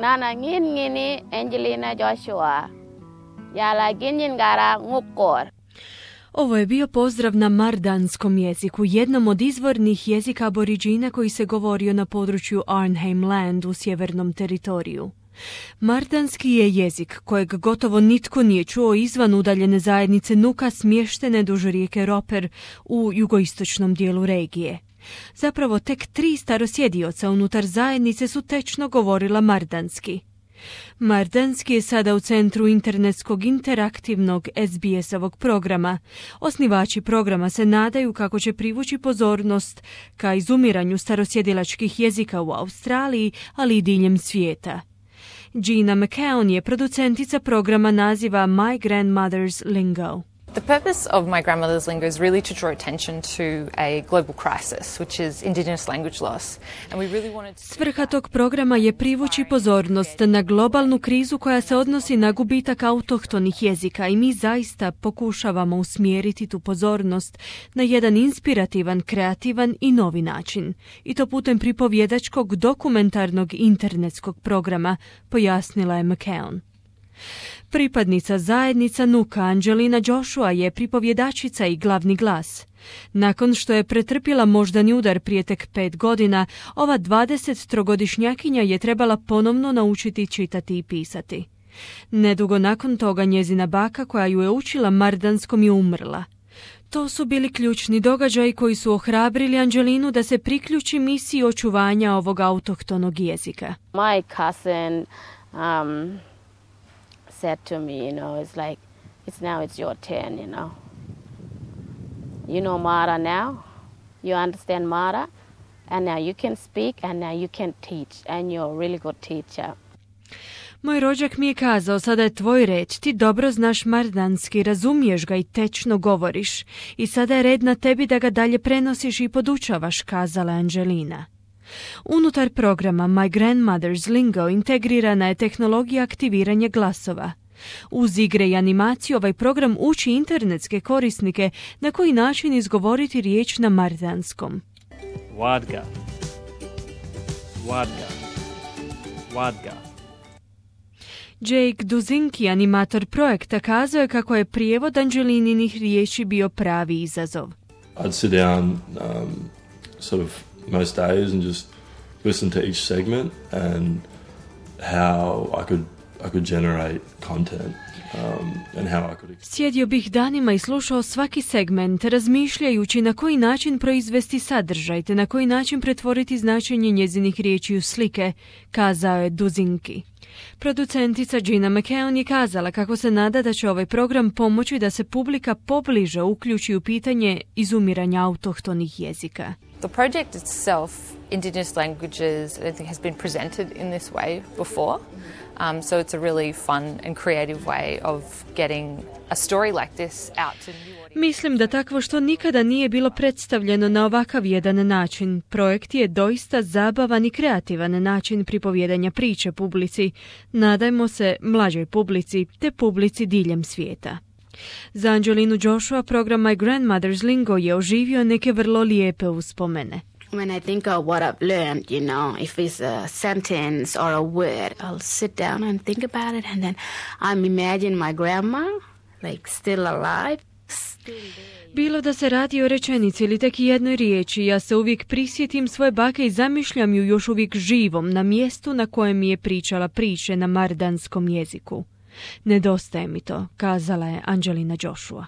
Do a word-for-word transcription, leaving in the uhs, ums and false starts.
Nana ngin ngini Angelina Joshua. Jala ginjin gara ngukor. Ovo je bio pozdrav na mardanskom jeziku, jednom od izvornih jezika aboriđina koji se govorio na području Arnhem Land u sjevernom teritoriju. Mardanski je jezik kojeg gotovo nitko nije čuo izvan udaljene zajednice Nuka smještene duž rijeke Roper u jugoistočnom dijelu regije. Zapravo tek tri starosjedioca unutar zajednice su tečno govorila mardanski. Mardanski je sada u centru internetskog interaktivnog S B S-ovog programa. Osnivači programa se nadaju kako će privući pozornost ka izumiranju starosjedilačkih jezika u Australiji, ali i diljem svijeta. Gina McKeown je producentica programa naziva My Grandmother's Lingo. The purpose of My Grandmother's Lingo is really to draw attention to a global crisis, which is Indigenous language loss. And we really wanted to... Svrha tog programa je privući pozornost na globalnu krizu koja se odnosi na gubitak autohtonih jezika i mi zaista pokušavamo usmjeriti tu pozornost na jedan inspirativan, kreativan i novi način. I to putem pripovjedačkog dokumentarnog internetskog programa, pojasnila je McKeown. Pripadnica zajednica Nuka Angelina Joshua je pripovjedačica i glavni glas. Nakon što je pretrpjela moždani udar prije tek pet godina, ova dvadesettrogodišnjakinja je trebala ponovno naučiti čitati i pisati. Nedugo nakon toga njezina baka koja ju je učila mardanskom je umrla. To su bili ključni događaji koji su ohrabrili Angelinu da se priključi misiji očuvanja ovog autohtonog jezika. My cousin um, said to me, you know, it's like, it's now it's your turn, you know. You know Mara now, you understand Mara, and now you can speak, and now you can teach, and you're a really good teacher. Moj rođak mi je kazao, sada je tvoj red, ti dobro znaš mardanski, razumiješ ga i tečno govoriš. I sada je red na tebi da ga dalje prenosiš i podučavaš, kazala Angelina. Unutar programa My Grandmother's Lingo integrirana je tehnologija aktiviranja glasova. Uz igre i animaciju ovaj program uči internetske korisnike na koji način izgovoriti riječ na mardanskom. Wadga. Wadga. Wadga. Jake Duzinki, animator projekta, kazao je kako je prijevod Angelininih riječi bio pravi izazov. I'd sit down um, sort of most days and just listen to each segment and how I could I could generate content um, and how I could... Sjedio bih danima i slušao svaki segment, razmišljajući na koji način proizvesti sadržaj, te na koji način pretvoriti značenje njezinih riječi u slike, kazao je Duzinki. Producentica Gina McKeown je kazala kako se nada da će ovaj program pomoći da se publika pobliže uključi u pitanje izumiranja autohtonih jezika. The project itself, Indigenous languages, I don't think has been presented in this way before. Um, so it's a really fun and creative way of getting a story like this out to new audiences. Mislim da takvo što nikada nije bilo predstavljeno na ovakav jedan način. Projekt je doista zabavan i kreativan način pripovjedanja priče publici. Nadajmo se mlađoj publici te publici diljem svijeta. Za Angelinu Joshua program My Grandmother's Lingo je oživio neke vrlo lijepe uspomene. When I think of what I've learned, you know, if it's a sentence or a word, I'll sit down and think about it, and then I'm imagine my grandma, like still alive, still there. Bilo da se radi o rečenici ili tek jednoj riječi, ja se uvijek prisjetim svoje bake i zamišljam ju još uvijek živom na mjestu na kojem mi je pričala priče na mardanskom jeziku. Nedostaje mi to, kazala je Angelina Joshua.